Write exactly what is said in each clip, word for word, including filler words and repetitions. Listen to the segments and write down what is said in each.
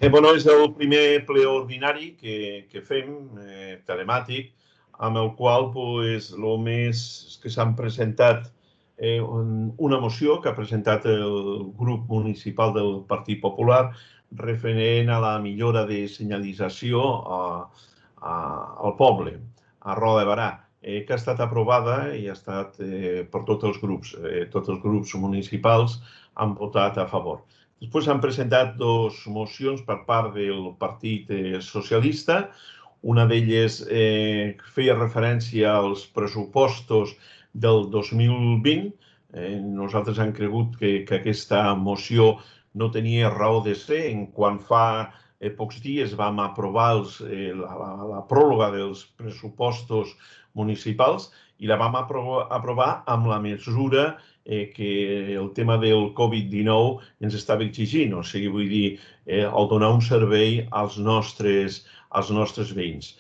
Eh, bueno, és el primer ple ordinari que, que fem, eh, telemàtic, amb el qual pues, el més que s'han presentat eh, una moció que ha presentat el grup municipal del Partit Popular referent a la millora de senyalització a, a, al poble, a Roda de Barà, eh, que ha estat aprovada i ha estat eh, per tots els grups. Eh, tots els grups municipals han votat a favor. Després s'han presentat dues mocions per part del Partit Socialista. Una d'elles eh, feia referència als pressupostos del dos mil vint. Eh, nosaltres hem cregut que, que aquesta moció no tenia raó de ser en quan fa eh, pocs dies vam aprovar els, eh, la, la, la pròrroga dels pressupostos municipals i la vam aprovar, aprovar amb la mesura eh, que el tema del Covid dinou ens estava exigint, o sigui, vull dir, eh, el donar un servei als nostres, als nostres veïns.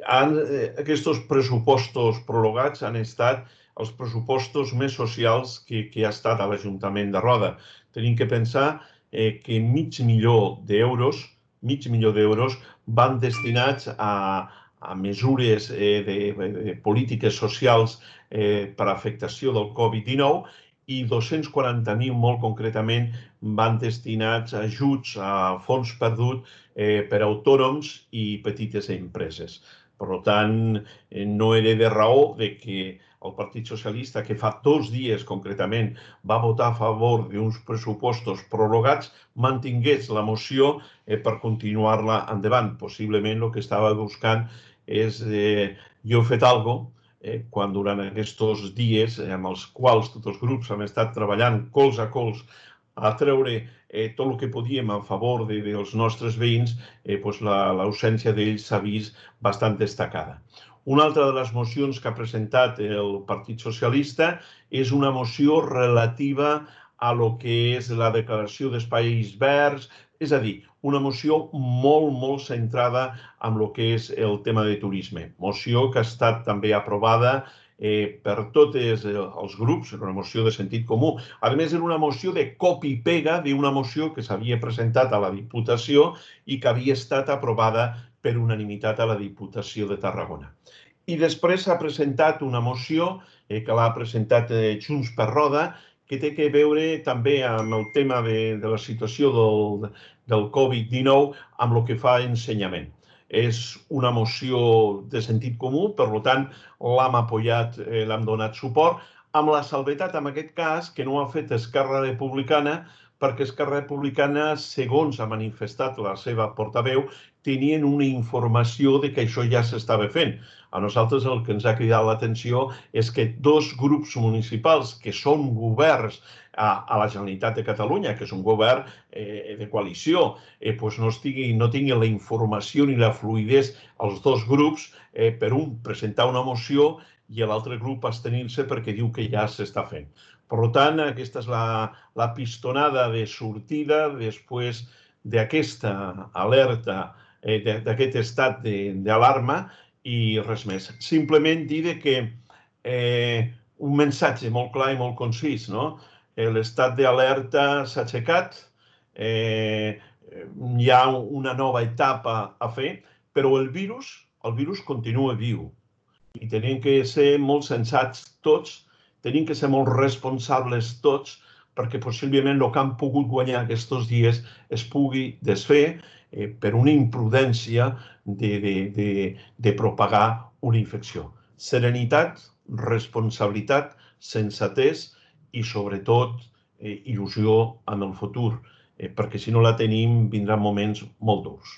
Han, eh, aquests pressupostos prorrogats han estat els pressupostos més socials que, que ha estat a l'Ajuntament de Roda. Tenim que pensar eh, que mig milió d'euros, mig milió d'euros van destinats a, a mesures eh, de, de polítiques socials eh, per afectació del Covid dinou i dos-cents quaranta mil, molt concretament, van destinats a ajuts a fons perdut eh, per a autònoms i petites empreses. Per tant, eh, no era de raó de que el Partit Socialista, que fa dos dies concretament va votar a favor d'uns pressupostos prorrogats, mantingués la moció eh, per continuar-la endavant. Possiblement el que estava buscant és eh, jo he fet alguna cosa Eh, quan durant aquests dies eh, amb els quals tots els grups hem estat treballant cols a cols a treure eh, tot el que podíem a favor de, dels nostres veïns, eh, doncs l'ausència d'ells s'ha vist bastant destacada. Una altra de les mocions que ha presentat el Partit Socialista és una moció relativa a lo que és la declaració d'espais verds, és a dir, una moció molt, molt centrada en el que és el tema de turisme. Moció que ha estat també aprovada eh, per tots els grups, era una moció de sentit comú. A més, era una moció de copy-pega d'una moció que s'havia presentat a la Diputació i que havia estat aprovada per unanimitat a la Diputació de Tarragona. I després s'ha presentat una moció eh, que l'ha presentat eh, Junts per Roda, que té a veure també amb el tema de, de la situació del, del Covid dinou amb el que fa ensenyament. És una moció de sentit comú, per tant, l'hem apoyat, eh, l'hem donat suport, amb la salvetat, en aquest cas, que no ha fet Esquerra Republicana, perquè Esquerra Republicana, segons ha manifestat la seva portaveu, tenien una informació de que això ja s'estava fent. A nosaltres el que ens ha cridat l'atenció és que dos grups municipals que són governs a, a la Generalitat de Catalunya, que és un govern eh, de coalició, eh, doncs no, estigui, no tingui la informació ni la fluïdesa als dos grups eh, per un presentar una moció i l'altre grup abstenir-se perquè diu que ja s'està fent. Per tant, aquesta és la, la pistonada de sortida després d'aquesta alerta, eh, d'aquest estat d'alarma i res més. Simplement dir que eh, un missatge molt clar i molt concís, no? L'estat d'alerta s'ha aixecat, eh, hi ha una nova etapa a fer, però el virus, el virus continua viu i tenim que ser molt sensats tots, tenim que ser molt responsables tots, perquè possiblement el que han pogut guanyar aquests dies es pugui desfer eh, per una imprudència de, de, de, de propagar una infecció. Serenitat, responsabilitat, sensatez i, sobretot, eh, il·lusió en el futur, eh, perquè si no la tenim vindran moments molt durs.